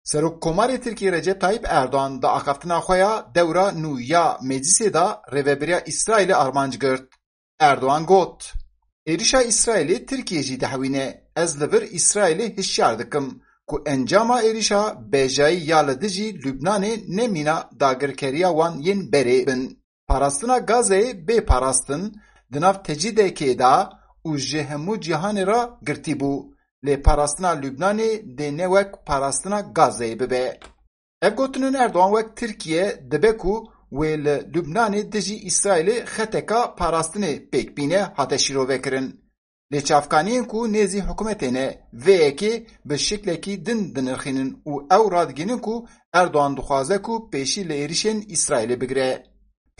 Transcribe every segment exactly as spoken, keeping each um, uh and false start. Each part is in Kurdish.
Serokkomarê Tirkiyê Recep Tayyip Erdoğan di axaftina xwe ya dewra nû ya Meclisê de rêvebiriya Îsraîlê armanc girt. Erdoğan got, Êrişa Îsraîlê Tirkiye jî dihewîne. Ez li vir Îsraîlê hişyar dikim ku encama êrişa bejayî ya li dijî Lubnanê ne mîna dagirkeriya wan yên berê bin. Parastina Gazeyê bê parastin di nav tecrîdekê de û ji hemû cîhanê re girtî bû. Lê parastina Lubnanê dê ne wek parastina Gazeyê bibe. Ev gotinên Erdogan wek Tirkiye dibe ku wê li Lubnanê dijî Îsraîlê xeteka parastinê pêk bîne hate şîrovekirin. Lê çavkaniyên ku nêzî hikûmetê ne, vê yekê bi şiklekî din dinirxînin û ew radigihînin ku Erdogan dixwaze ku pêşî li êrişên Îsraîlê bigire.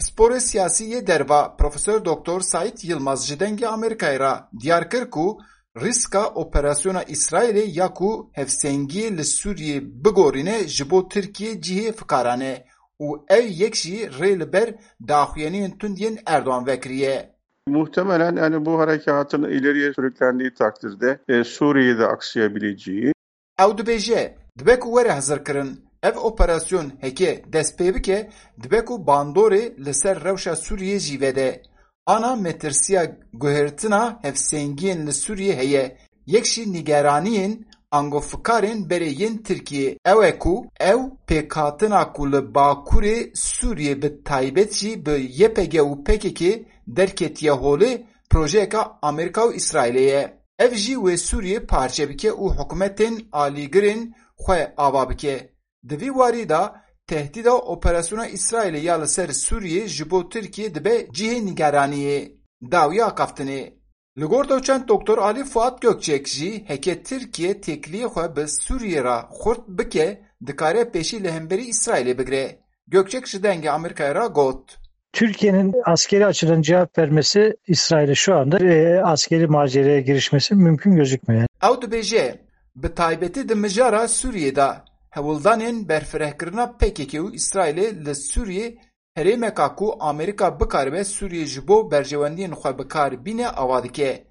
Pisporê siyasî yê derva Profesor Doktor Saîd Yilmaz ji Dengê Amerîkayê re diyar kir ku rîska operasyona Îsraîlê ya ku hevsengiyê li Sûriyê bigorîne ji bo Tirkiye cihê fikaran e û ew yek jî rê li ber daxuyaniyên tund yên Erdogan vekiriye. Muhtemelen, yani, bu harekatın ileriye sürüklendiği takdirde, e, Suriye'de aksayabileceği. Ew dibêje, dibe ku were hizirkirin, ev operasyon heke dest pê bike, dibe ku bandorê li ser rewşa Sûriyê jî vede. Ana metirsiya guhertina hevsengiyên li Sûriyê heye. Yek jî nîgeraniyên angofikarên berê yên Tirkiyê ew e ku ew pêkhatina ku li Bakurê Sûriyê bi taybet jî bi Y P G û P K K derketiye holê projeyeka Amerîka û Îsraîlê ye. Ev jî wê Sûriyê parçe bike û hikûmetên alîgirên xwe ava bike. Di vî warî de tehdîda operasyona Îsraîlê ya li ser Sûriyê ji bo Tirkiyê dibe cihê nîgeraniyê. Dawiya axaftinê. Li gor doçent Doktor Alî Fuat Gökçek jî heke Tirkiye têkiliyê xwe bi Sûriyê re xurt bike, dikare pêşî li hemberî Îsraîlê bigire. Gökçek ji Dengê Amerîkayê re got. Türkiye'nin askeri açıdan cevap vermesi İsrail'e şu anda, e, askeri maceraya girişmesi mümkün gözükmüyor. Ew dibêje, bi taybetî di mijara Sûriyê de hewldanên berfirehkirina P K K û Îsraîlê li Sûriyê herêmeka ku Amerîka bikaribe Sûriyê ji bo berjewendiyên xwe bi kar bîne ava dike.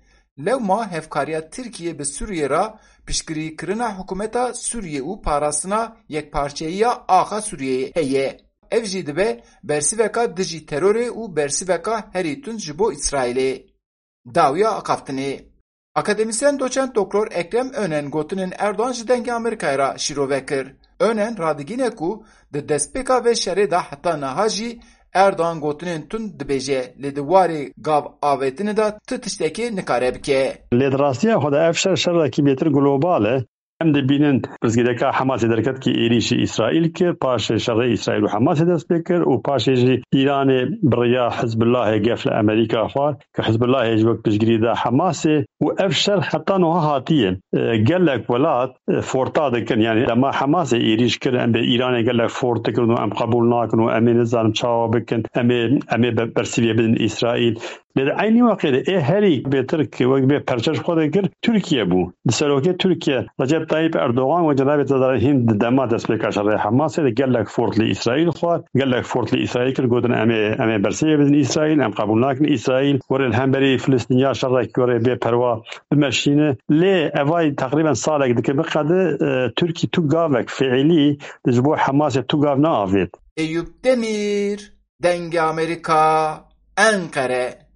Lewma hevkariya Tirkiyê bi Sûriyê re piştgirîkirina hikûmeta Sûriyê û parastina yekparçeyiya axa Sûriyeyê heye. Ev jî dibe bersiveka dijî terorê û bersiveka herî tund ji bo Îsraîlê. Dawiya axaftinê. Akademîsyen doçent Doktor Ekrem Önen gotinên Erdogan ji Dengê Amerîkayê re şîrove kir. Önen radigîne ku di destpêka vê şerê de heta niha jî Erdogan gotinên tund dibêje, lê di warê gav avêtinê de ti tiştekê nikare bike. Lê di rastiya xwe de ev şer şerekî bêtir global e. Em dibînin pirsgirêka Hemasê derket ki êrîşî Îsraîl kir, paşê şerê Îsraîl û Hemasê dest pê kir û paşê jî Îranê bi riya Hizbullahê gef li Amerîka xwar, ki Hizbullahê jî wek piştgirî da Hemasê û ev şer heta niha hatiye. E, gelek welat, e, forta dikin, yani dema Hemasê êrîş kir, em bê Îranê gelek fort dikin û em qebûl nakin û em ê nizanim çawa bikin, em ê, em ê be-, bersiviyê bidin Îsraîl. Lê di eynî wextê de ê herî bêtir ki wek bê perçe ji xwe de kir, Tirkiye bû. Di serokê Tirkiye Recep Tayyip Erdogan û cenabê Serdar Hîn di dema destpêka şerê Hemasê de gelek fort li Îsraîl xwar, gelek fort li Îsraîl kir, gotin, "Em ê, em ê bersivê bidin Îsraîl, em qebûl nakin Îsraîl were li hemberî Filistîniya şerek were bê perwa bimeşîne." Lê evay teqrîben salek dike biqede, e, Tirkî tu gavek fiîlî di ji bo Hemasê tu gav neavêt. Eyûp Demîr, Dengê Amerîka, Enqere.